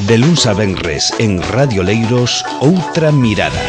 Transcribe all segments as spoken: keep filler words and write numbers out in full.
De luns a venres en Radio Leiros, Outra Mirada.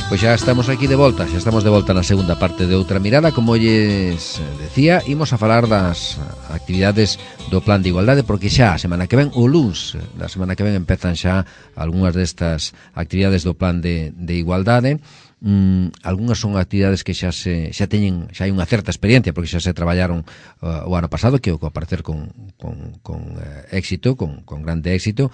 Pois xa estamos aquí de volta, xa estamos de volta na segunda parte de Outra Mirada. Como lles decía, imos a falar das actividades do Plan de Igualdade, porque xa a semana que ven, o luns da semana que ven, empezan xa algunhas destas actividades do Plan de, de Igualdade. Mm, algunhas son actividades que xa se xa teñen, xa hai unha certa experiencia, porque xa se traballaron uh, o ano pasado, que o aparecer con, con, con uh, éxito, con, con grande éxito,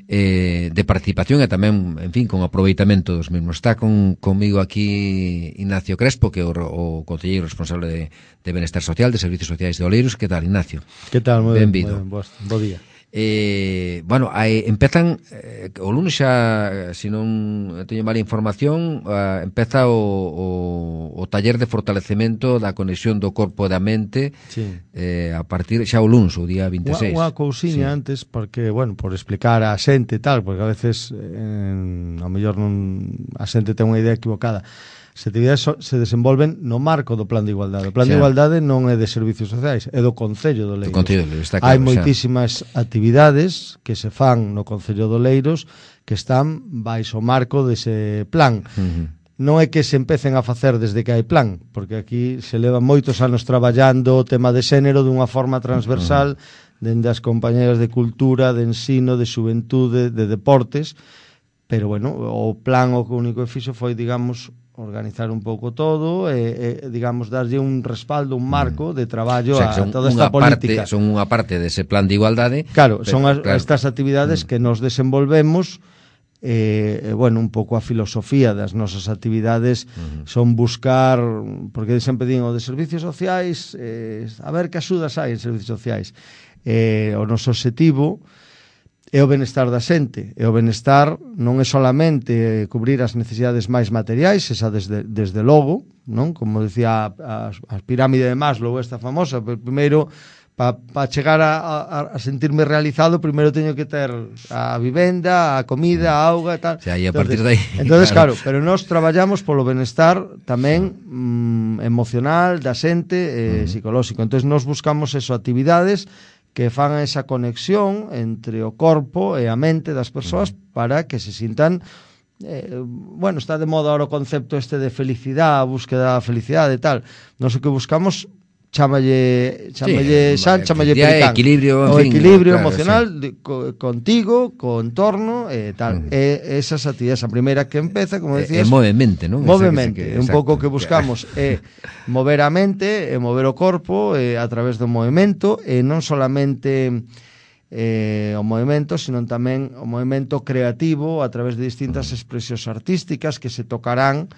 eh, de participación e tamén, en fin, con aproveitamento dos mesmos. Está con, comigo aquí Ignacio Crespo, que é o, o concelleiro responsable de, de Benestar Social, de Servicios Sociais de Oleiros. Que tal, Ignacio? Que tal? Moi ben, benvido. Bo día. Eh, bueno, aí empezan eh, o lunes xa, se non teño mala información, eh, empeza o, o, o taller de fortalecemento da conexión do corpo e da mente, sí. eh, a partir xa o lunes, o día vinte e seis. Unha cousiña sí. Antes, porque, bueno, por explicar a xente e tal, porque a veces eh, a mellor non a xente ten unha idea equivocada. As actividades se desenvolven no marco do Plan de Igualdade. O Plan xa. de Igualdade non é de Servicios Sociais, é do Concello do Leiros. Do Concello do Leiros, está claro. Hai moitísimas xa. actividades que se fan no Concello do Leiros que están baixo o marco dese plan. Uh-huh. Non é que se empecen a facer desde que hai plan, porque aquí se leva moitos anos traballando o tema de xénero dunha forma transversal, uh-huh. dende as compañeras de cultura, de ensino, de xuventude, de deportes, pero, bueno, o plan o único que fixo foi, digamos, organizar un pouco todo e, e digamos, darlle un respaldo, un marco de traballo, o sea, a toda esta política. Parte, son unha parte dese plan de igualdade. Claro, pero, son as, claro. estas actividades mm. que nos desenvolvemos, eh, bueno, un pouco a filosofía das nosas actividades mm. son buscar, porque sempre digo, de servicios sociais, eh, a ver que axudas hai en servicios sociais. Eh, o noso objetivo é o benestar da xente, e o benestar non é solamente cubrir as necesidades máis materiais, esa desde, desde logo, non? Como decía a, a pirámide de Maslow, esta famosa, primeiro, para pa chegar a, a, a sentirme realizado, primeiro teño que ter a vivenda, a comida, a auga e tal. O sea, e a partir de aí... Entonces, claro, claro, pero nós traballamos polo benestar tamén mm, emocional da xente, eh, uh-huh. psicolóxico. Entonces, nós buscamos eso, actividades que fan esa conexión entre o corpo e a mente das persoas para que se sintan, eh, bueno, está de moda ahora o concepto este de felicidade, a búsqueda da felicidade e tal. Nós o que buscamos, chámalle, chámalle sí, San, chámalle Pericán, equilibrio, o en fin, equilibrio claro, emocional sí. de, co, contigo, co entorno e tal. Uh-huh. E esas actividades, a primeira que empeza, como decías, é movemente, non? Movemente, que, un pouco que buscamos é mover a mente, e mover o corpo e a través do movimento, e non solamente eh, o movimento, sino tamén o movimento creativo a través de distintas expresións artísticas que se tocarán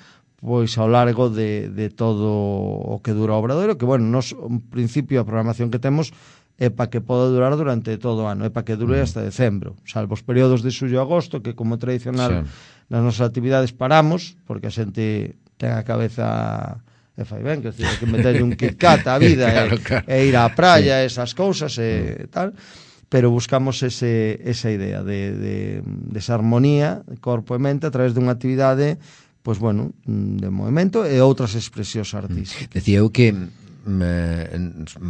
pois ao largo de, de todo o que dura o obradoiro, que, bueno, nos, un principio a programación que temos é para que poda durar durante todo o ano, é para que dure hasta decembro, salvo os períodos de xullo e agosto, que como tradicional sí. nas nosas actividades paramos, porque a xente ten a cabeza e fai ben, que, decir, que meterlle un KitKat á vida claro, e, claro. e ir á praia, sí. esas cousas e tal, pero buscamos ese, esa idea de, de, de esa armonía corpo e mente a través dunha actividade, pois, bueno, de movimento e outras expresións artísticas. Decía eu que eh,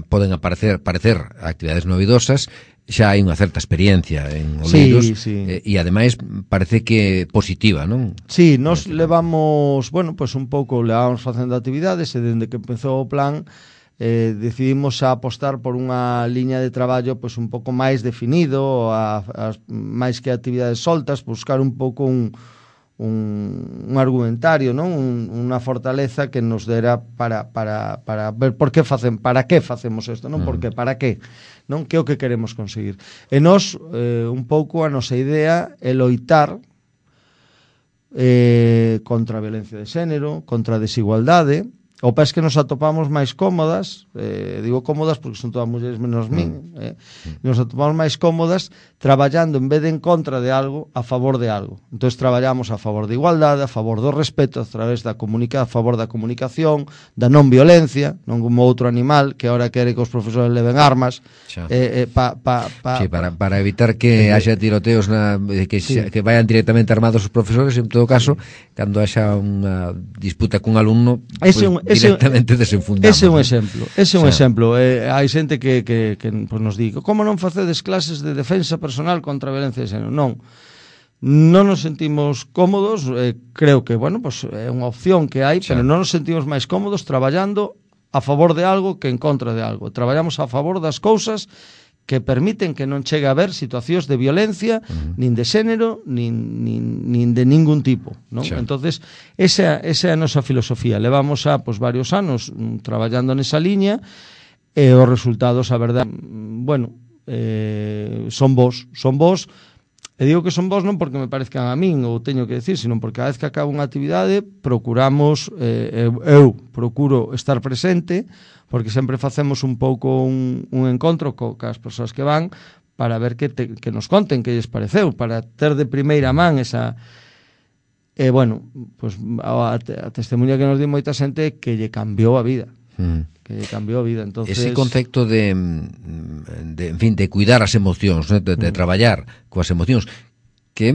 poden aparecer parecer actividades novidosas, xa hai unha certa experiencia en Oleiros, sí, sí. Eh, e ademais parece que positiva, non? Sí, nos levamos, bueno, pois un pouco levamos facendo actividades e dende que empezou o plan eh, decidimos a apostar por unha liña de traballo pois un pouco máis definido, a, a, máis que actividades soltas, buscar un pouco un Un, un argumentario, non? Un, unha fortaleza que nos dera para, para, para ver por que facen, para que facemos isto, non? Por que, para que, non? Que é o que queremos conseguir. E nós, eh, un pouco, a nosa idea é loitar eh, contra a violencia de xénero, contra a desigualdade, o pes que nos atopamos máis cómodas, eh, digo cómodas porque son todas mulleres menos min, eh, nos atopamos máis cómodas traballando en vez de en contra de algo, a favor de algo. Entón traballamos a favor da igualdade, a favor do respeto, a través da comunica, a favor da comunicación, da non violencia, non como outro animal que ahora quere que os profesores leven armas, eh, eh, pa, pa, pa, sí, para, para evitar que eh, haxa tiroteos na, que, sí. que vayan directamente armados os profesores, en todo caso, cando haxa unha disputa cun alumno, ese pues, un, ese, directamente desenfundamos. Ese é un ¿no? exemplo, ese é un o sea, exemplo. Eh, hai xente que, que, que pues, nos digo, como non facedes clases de defensa personal contra a violencia de xénero? Non. Non nos sentimos cómodos, eh, creo que, bueno, pues é unha opción que hai, sí. Pero non nos sentimos máis cómodos traballando a favor de algo que en contra de algo. Traballamos a favor das cousas que permiten que non chegue a haber situacións de violencia, uh-huh. nin de xénero, nin, nin, nin de ningún tipo, non? Sí. Entonces, esa, esa é a nosa filosofía. Levamos a pues, varios anos mm, traballando nesa liña e os resultados, a verdade, mm, bueno, eh, son vos, son vos, e digo que son vos non porque me parezcan a min ou teño que decir, sino porque cada vez que acaba unha actividade procuramos, eh, eu, eu procuro estar presente, porque sempre facemos un pouco un, un encontro co, cas persoas que van para ver que, te, que nos conten que lles pareceu, para ter de primeira man esa... E, bueno, pues, a, a testemunha que nos di moita xente que lle cambiou a vida. Mm. Que lle cambiou a vida. Entonces... Ese concepto de, de, en fin, de cuidar as emocións, ¿no? de, de mm. traballar coas emocións, que é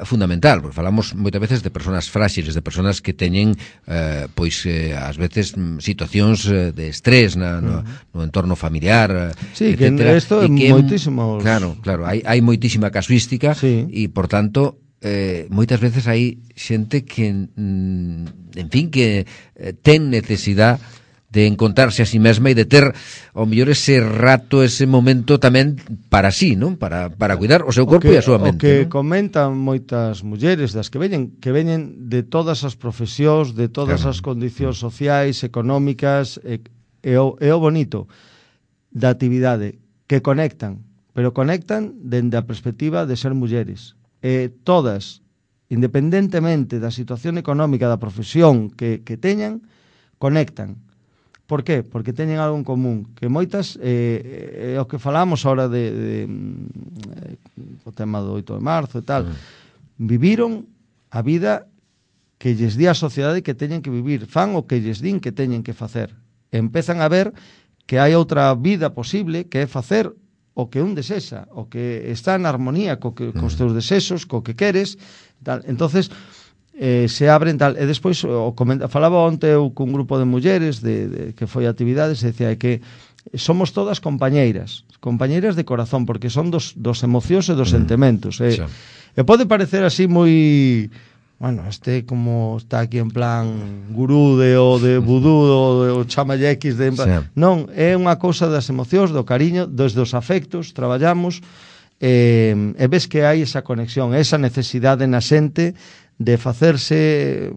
fundamental, porque falamos moitas veces de persoas fráxiles, de persoas que teñen eh, pois eh, ás veces situacións de estrés na, no, no entorno familiar, sí, etcétera. Que isto é moitísimos... Claro, claro, hai, hai moitísima casuística sí. E, por tanto, eh, moitas veces hai xente que, mm, en fin, que eh, ten necesidade de encontrarse a si mesma e de ter ao mellor ese rato, ese momento tamén para sí, non? Para, para cuidar o seu corpo que, e a súa mente. O que ¿no? comentan moitas mulleres das que veñen, que veñen de todas as profesións, de todas claro. As condicións sociais, económicas, e, e, o, e o bonito da actividade, que conectan, pero conectan dende a perspectiva de ser mulleres. E todas, independentemente da situación económica da profesión que, que teñan, conectan. Por qué? Porque teñen algo en común, que moitas, eh, é o que falamos ahora de, de, de o tema do oito de marzo e tal, mm. viviron a vida que lles di a sociedade que teñen que vivir, fan o que lles din que teñen que facer. E empezan a ver que hai outra vida posible, que é facer o que un desexa, o que está en armonía co que, mm. cos teus desexos, co que queres, tal. Entonces, Eh, se abren tal, e despois o comenta, falaba onte eu cun grupo de mulleres de, de, que foi a actividades, e decía que somos todas compañeiras compañeiras de corazón, porque son dos, dos emocións e dos mm. sentimentos e, e pode parecer así moi, bueno, este como está aquí en plan gurú de, o de vudú o de o chamalle X de, sí. Non, é unha cousa das emocións, do cariño, dos dos afectos, traballamos e, e ves que hai esa conexión, esa necesidade na xente de facerse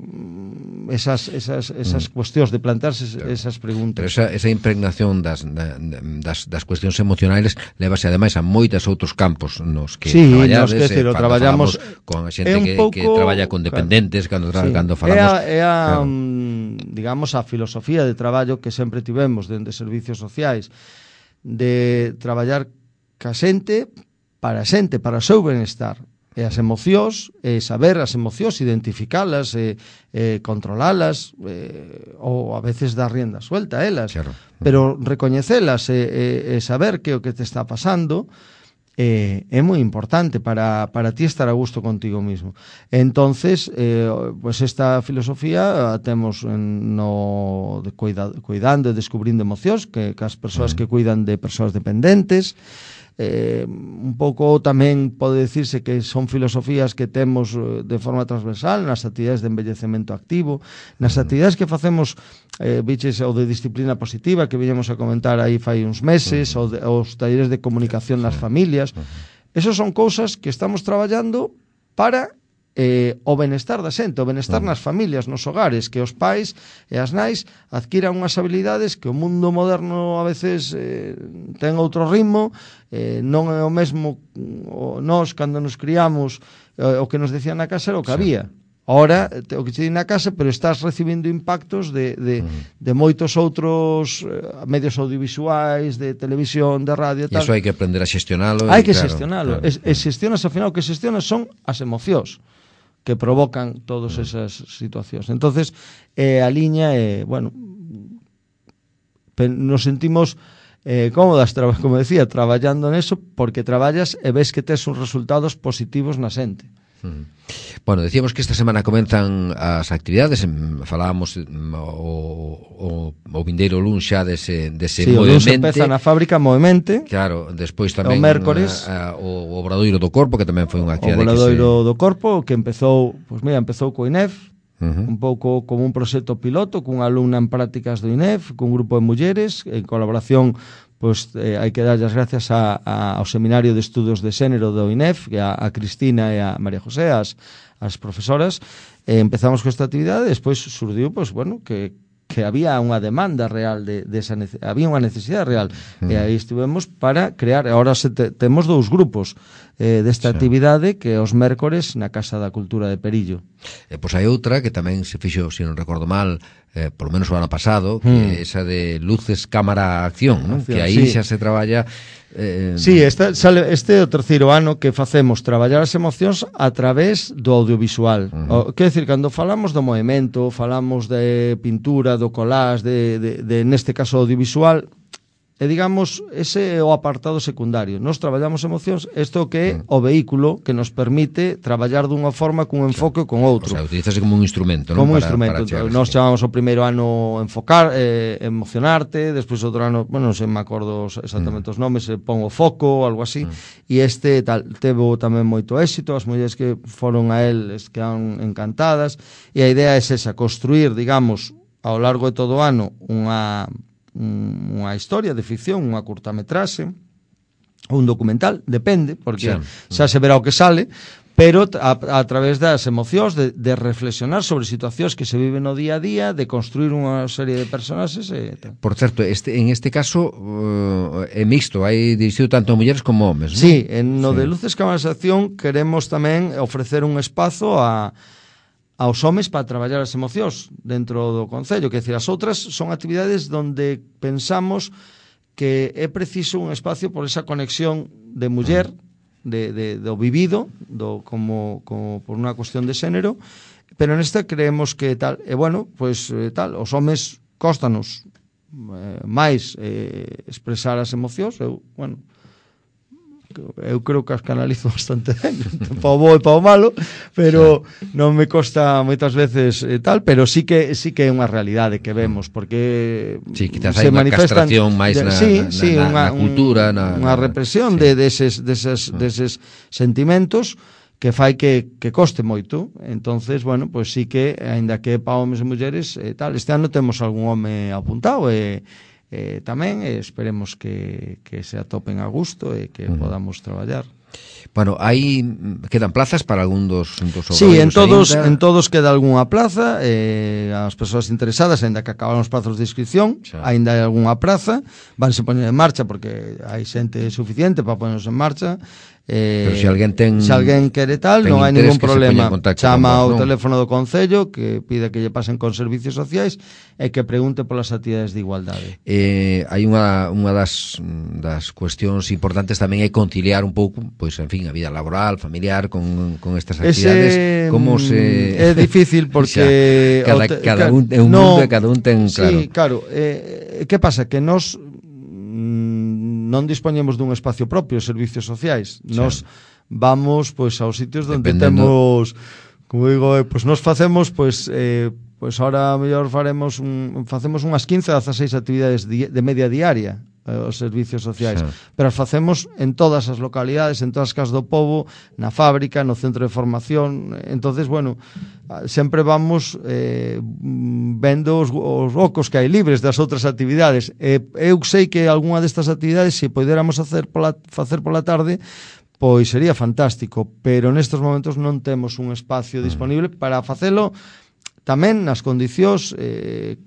esas, esas, esas mm. cuestións, de plantearse claro. Esas preguntas. Pero esa, esa impregnación das, das, das cuestións emocionais levase ademais a moitas outros campos nos que sí, traballades, nos que decir, eh, traballamos con a xente que, pouco, que traballa con dependentes, claro, cando, sí. cando É falamos... a, é a claro. digamos, a filosofía de traballo que sempre tivemos dentro de servicios sociais, de traballar ca xente, para a xente, para o seu benestar. E as emocións, e saber as emocións, identificalas, e, e controlalas, e, ou a veces dar rienda suelta a elas, claro. Pero recoñecelas e, e, e saber que o que te está pasando eh, é moi importante para, para ti estar a gusto contigo mismo. Entonces, eh, pues esta filosofía a temos en, no de cuida, cuidando e descubrindo emocións, que, que as persoas mm. que cuidan de persoas dependentes. Eh, un pouco tamén pode decirse que son filosofías que temos de forma transversal nas actividades de envellecemento activo, nas actividades que facemos, eh, biches, o de disciplina positiva que viñemos a comentar aí fai uns meses, ou de, os talleres de comunicación nas familias. Esos son cousas que estamos traballando para eh, o benestar da xente, o benestar nas familias, nos hogares, que os pais e as nais adquiran unhas habilidades que o mundo moderno a veces eh, ten outro ritmo, eh, non é o mesmo o, nós cando nos criamos, eh, o que nos decían na casa era o que sí. había. Ahora, o que che di na casa, pero estás recibindo impactos de, de, de moitos outros uh, medios audiovisuais, de televisión, de radio e tal. E iso hai que aprender a xestionalo. Hai que claro, xestionalo. Claro, e, e xestionas, ao final, o que xestionas son as emocións que provocan todas esas situacións. Entonces, eh, a liña, eh, bueno, nos sentimos eh, cómodas, como decía, traballando neso, porque traballas e ves que tes uns resultados positivos na xente. Uh-huh. Bueno, decíamos que esta semana comenzan as actividades, falábamos o, o, o vindeiro luns xa dese, dese sí, Movemente. Sí, o luns empeza na fábrica Movemente. Claro, despois tamén o mércores a, a, o Obradoiro do Corpo, que tamén foi unha actividade o Obradoiro que se... do Corpo, que empezou, pois mira, empezou co I N E F, uh-huh. un pouco como un proxecto piloto, cunha alumna en prácticas do I N E F, cun grupo de mulleres, en colaboración. Pois eh, hai que dar as gracias a, a, ao Seminario de Estudos de Xénero do I N E F, que a, a Cristina e a María José, as, as profesoras. Eh, empezamos con esta actividade, despois surdiu, pois, bueno, que, que había unha demanda real, de, de esa nece- había unha necesidade real. Mm. E aí estivemos para crear, agora se te, temos dous grupos eh, desta sí. actividade, que os mércores na Casa da Cultura de Perillo. E pois hai outra que tamén se fixo, se non recordo mal, eh, por lo menos o ano pasado, que mm. é esa de luces, cámara, acción, ¿no? Acción, que aí sí. xa se traballa... Eh... Sí, esta, sale, este é o terceiro ano que facemos traballar as emocións a través do audiovisual. Uh-huh. O, quer decir, cando falamos do movimento, falamos de pintura, do collage, de, de, de neste caso audiovisual, e digamos, ese é o apartado secundario. Nos traballamos emocións, isto que é o vehículo que nos permite traballar dunha forma cun enfoque ou con outro. O sea, utilizase como un instrumento, non? Como un Para, instrumento. para Nos chamamos o primeiro ano enfocar, eh, emocionarte, despois outro ano, bueno, non sei, me acordo exactamente mm. os nomes, eh, pon o foco, algo así, mm. e este tal, tevo tamén moito éxito, as mulleres que foron a él quedaron encantadas, e a idea é esa, construir, digamos, ao largo de todo o ano, unha unha historia de ficción, unha curtametraxe, un documental, depende, porque xa, xa se verá o que sale, pero a, a través das emocións, de, de reflexionar sobre situacións que se viven no día a día, de construir unha serie de personaxes e tal. Por certo, este, en este caso uh, é mixto, hai dirixido tanto a mulleres como homes, non? Sí, en no sí. de Luces Cámaras de Acción queremos tamén ofrecer un espazo a aos homes para traballar as emocións dentro do Concello, que decir, as outras son actividades donde pensamos que é preciso un espacio por esa conexión de muller, de, de, do vivido, do, como, como por unha cuestión de xénero, pero nesta creemos que tal, e bueno, pois pues, tal, os homes cóstanos eh, máis eh, expresar as emocións, eu, bueno, eu creo que as canalizo bastante ben, pa o bo e pa o malo, pero non me costa moitas veces eh, tal, pero sí que sí que é unha realidade que vemos, porque sí, quizás hai unha castración máis de, na, sí, na, sí, na, unha, na cultura, na, unha represión sí. de deses, deses, deses sentimentos que fai que, que coste moito. Entonces, bueno, pois pues sí que, aínda que pa homes e mulleres eh, tal, este ano temos algún home apuntado e Eh, tamén eh, esperemos que, que se atopen a gusto e que uh-huh. podamos traballar. Bueno, aí quedan plazas para algún dos, dos Sí, en todos, en todos queda algunha plaza, eh, as persoas interesadas, aínda que acabaron os prazos de inscripción, xa. Aínda hai algunha praza, vanse poñer en marcha porque hai xente suficiente para ponernos en marcha. Eh, Pero se alguén ten se alguén quere tal, non hai ningún problema. Chama ao teléfono do Concello que pide que lle pasen con servicios sociais e que pregunte polas actividades de igualdade. Eh, hai unha, unha das, das cuestións importantes tamén é conciliar un pouco, pois, en fin, a vida laboral, familiar con, con estas actividades. Ese, como se... É difícil porque... cada, te, cada un é un no, mundo e cada un ten, claro. Sí, claro. Eh, que pasa? Que nos non dispoñemos dun espacio propio, servicios sociais. Sí. Nos vamos pois aos sitios onde Dependendo... temos, como digo, eh, pois nos facemos pois eh, pois ahora mellor faremos un, facemos unhas quince a dezaseis actividades di, de media diaria eh, os servicios sociais, sí. Pero as facemos en todas as localidades, en todas as casas do pobo, na fábrica, no centro de formación. Entonces, bueno, sempre vamos eh, vendo os, os ocos que hai libres das outras actividades. Eh, eu sei que algunha destas actividades, se poderamos hacer pola, facer pola tarde, pois sería fantástico, pero nestes momentos non temos un espacio disponible para facelo tamén nas condicións eh,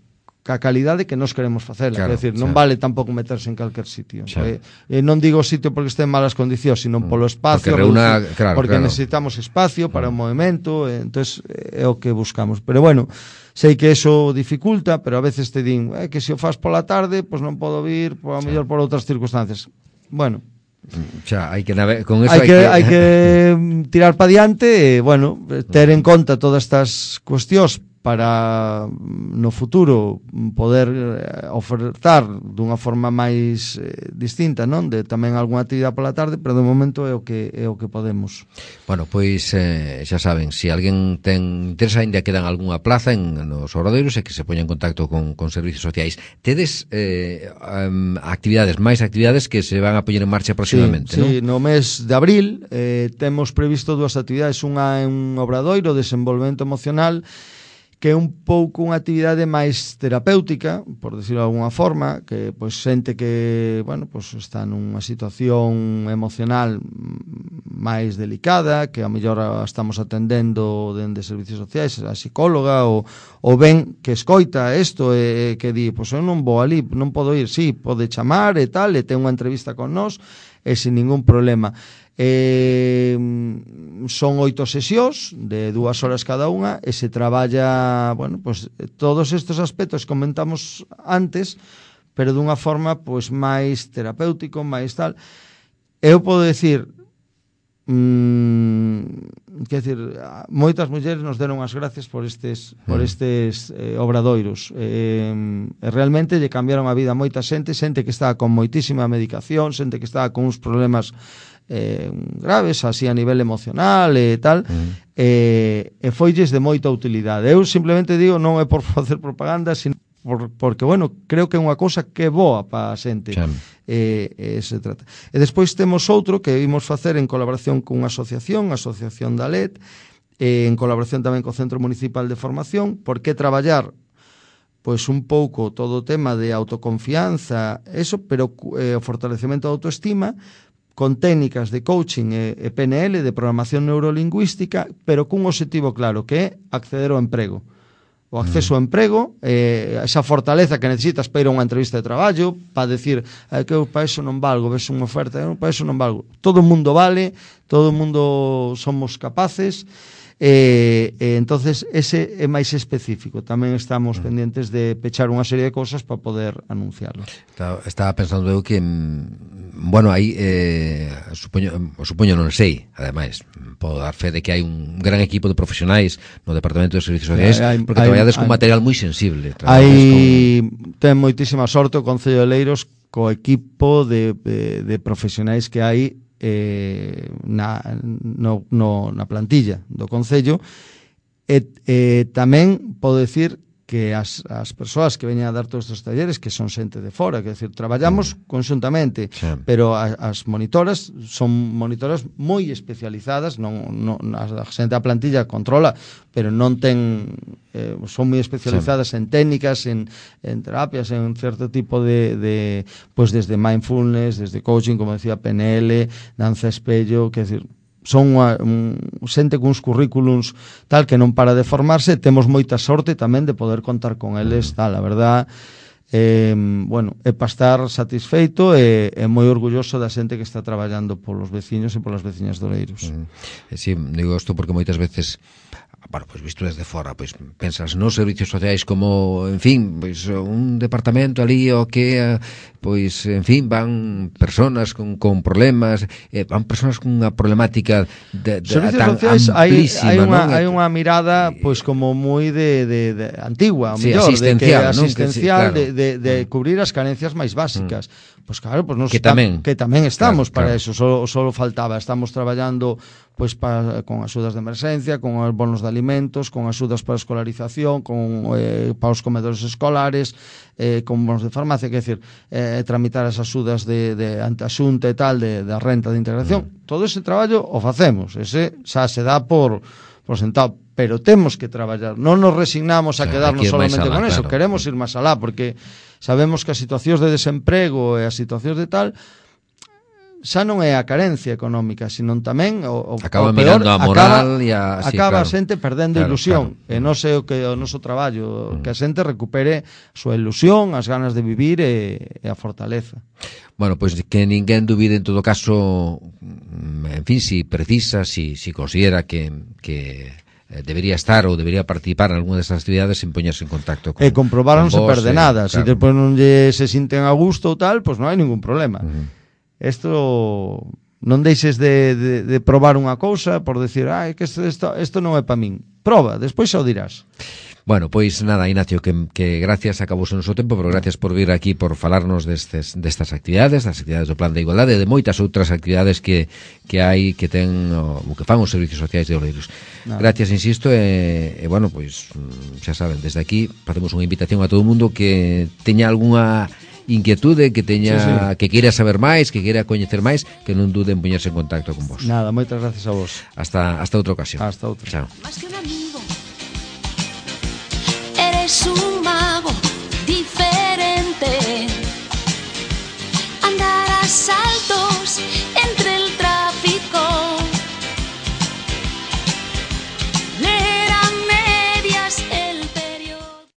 ca calidade que nos queremos facela, claro, é dicir, non claro. vale tampouco meterse en calquer sitio. Claro. Eh, eh, non digo sitio porque este en malas condicións, sino polo espacio, porque, reúna, claro, porque claro. necesitamos espacio para o movimento, eh, entonces é o que buscamos. Pero bueno, sei que eso dificulta, pero a veces te din, eh, que se o faz pola tarde, pois pues non podo vir, por a mellor por outras circunstancias. Bueno, xa, hai que nave... con eso hai que, hai que tirar pa diante e, bueno, ter en conta todas estas cuestións para no futuro poder ofertar dunha forma máis eh, distinta, non? De tamén algunha actividade pola tarde, pero de momento é o que é o que podemos. Bueno, pois eh, xa saben, se alguén ten interesa, ainda quedan algunha plaza en nos Obradoiros e que se poña en contacto con, con servicios sociais. Tedes eh, um, actividades, máis actividades que se van a poñer en marcha próximamente, sí, non? Sí, no mes de abril eh, temos previsto dúas actividades, unha en Obradoiro, desenvolvemento emocional, que é un pouco unha actividade máis terapéutica, por decirlo de alguna forma, que pois xente que, bueno, pois está nunha situación emocional máis delicada, que a mellor estamos atendendo dende servicios sociais, a psicóloga, ou, ou ben que escoita isto e que di, pois eu non vou ali, non podo ir, sí, pode chamar e tal, e ten unha entrevista con nós, e sin ningún problema. Eh, son oito sesións de dúas horas cada unha e se traballa, bueno, pues todos estes aspectos que comentamos antes, pero dunha forma pues máis terapéutico, máis tal. Eu podo decir, mm, quer decir, moitas mulleres nos deron as gracias por estes por estes eh, obradoiros. Eh, realmente lle cambiaron a vida a moita xente, xente que estaba con moitísima medicación, xente que estaba con uns problemas eh, graves, así a nivel emocional e tal, uh-huh. e, e foilles de moita utilidade. Eu simplemente digo, non é por facer propaganda, sino por, porque, bueno, creo que é unha cousa que é boa para a xente. E, e se trata. E despois temos outro que vimos facer en colaboración cunha asociación, a Asociación da L E D, e en colaboración tamén co Centro Municipal de Formación, por que traballar pois un pouco todo o tema de autoconfianza, eso, pero eh, o fortalecemento da autoestima, con técnicas de coaching e, e P N L, de programación neurolingüística, pero cun objetivo claro, que é acceder ao emprego. O acceso ao emprego, eh, esa fortaleza que necesitas para ir a unha entrevista de traballo, para decir, eh, que eu para eso non valgo, ves unha oferta, eu para eso non valgo. Todo o mundo vale, todo o mundo somos capaces, e, e entonces ese é máis específico. Tamén estamos mm. pendientes de pechar unha serie de cosas para poder anunciarlo. Estaba, estaba pensando eu que bueno, aí eh, supoño, supoño non sei, ademais podo dar fe de que hai un gran equipo de profesionais no Departamento de Servicios Sociais, hai, porque hai, traballades hai, con material moi sensible. Hai con... ten moitísima sorte o Concello de Leiros co equipo de, de, de profesionais que hai eh, na, no, no, na plantilla do Concello, e eh, tamén podo decir que as, as persoas que veñen a dar todos estes talleres, que son xente de fora, que decir, traballamos mm. conxuntamente, sí. Pero as, as monitoras son monitoras moi especializadas, non, non, a xente da plantilla controla, pero non ten, eh, son moi especializadas sí. En técnicas, en, en terapias, en certo tipo de, de pues desde mindfulness, desde coaching, como decía, P N L, danza espello, que decir, son unha, un, xente cuns currículums tal que non para de formarse, temos moita sorte tamén de poder contar con eles, tal, a verdad, eh, bueno, é para estar satisfeito e, e moi orgulloso da xente que está traballando polos veciños e polas veciñas de Oleiros. Mm. Sí, digo isto porque moitas veces, bueno, pois visto desde fora, pois pensas nos servicios sociais como, en fin, pois un departamento ali o que, pois, en fin, van personas con, con problemas, eh, van personas con unha problemática de, de, tan sociais, amplísima, hai, hai, unha, non? hai unha mirada, pois, como moi de, de, de antigua, sí, mellor, asistencial, de que asistencial, ¿no? Que, sí, claro. de, de, de cubrir as carencias máis básicas. Mm. Pois claro, pois nos que tamén, que tamén estamos claro, para claro. eso, solo, solo faltaba, estamos traballando pois pa, con axudas de emerxencia, con os bonos de alimentos, con axudas para a escolarización, con eh, para os comedores escolares, eh, con bonos de farmacia, que decir, eh, tramitar as axudas de, de anteaxunta e tal, de, de renta de integración. Mm. Todo ese traballo o facemos, ese xa se dá por, por sentado, pero temos que traballar, non nos resignamos a quedarnos solamente alá, con eso, claro. Queremos ir máis alá, porque sabemos que as situacións de desemprego e as situacións de tal xa non é a carencia económica, sino tamén o, o, acaba o peor, mirando a acaba, moral e a, sí, acaba claro. a xente perdendo claro, ilusión, claro. e non sei o que o noso traballo, mm. que a xente recupere a súa ilusión, as ganas de vivir e, e a fortaleza. Bueno, pois pues que ninguén dubide en todo caso, en fin, si precisa, si, si considera que, que debería estar ou debería participar en alguna destas actividades, sin poñerse en contacto con, e comprobar non se vos, perde eh, nada, claro. se despois non lle se sinten a gusto ou tal, pois pues non hai ningún problema. Isto uh-huh. non deixes de, de, de probar unha cousa por decir, ah, que isto, isto, isto non é para min. Proba, despois xa o dirás. Bueno, pois nada, Ignacio, que, que gracias, acabou o noso tempo, pero gracias por vir aquí, por falarnos destes, destas actividades, das actividades do Plan de Igualdade, de moitas outras actividades que, que hai, que ten, o que fan os servicios sociais de Oleiros. Nada. Gracias, insisto, e, e bueno, pois xa saben, desde aquí facemos unha invitación a todo o mundo que teña algunha inquietude, que teña sí, sí. que queira saber máis, que queira coñecer máis, que non duden en poñerse en contacto con vos. Nada, moitas gracias a vos. Hasta hasta outra ocasión. Hasta outra. Chao. Más que un amigo, eres un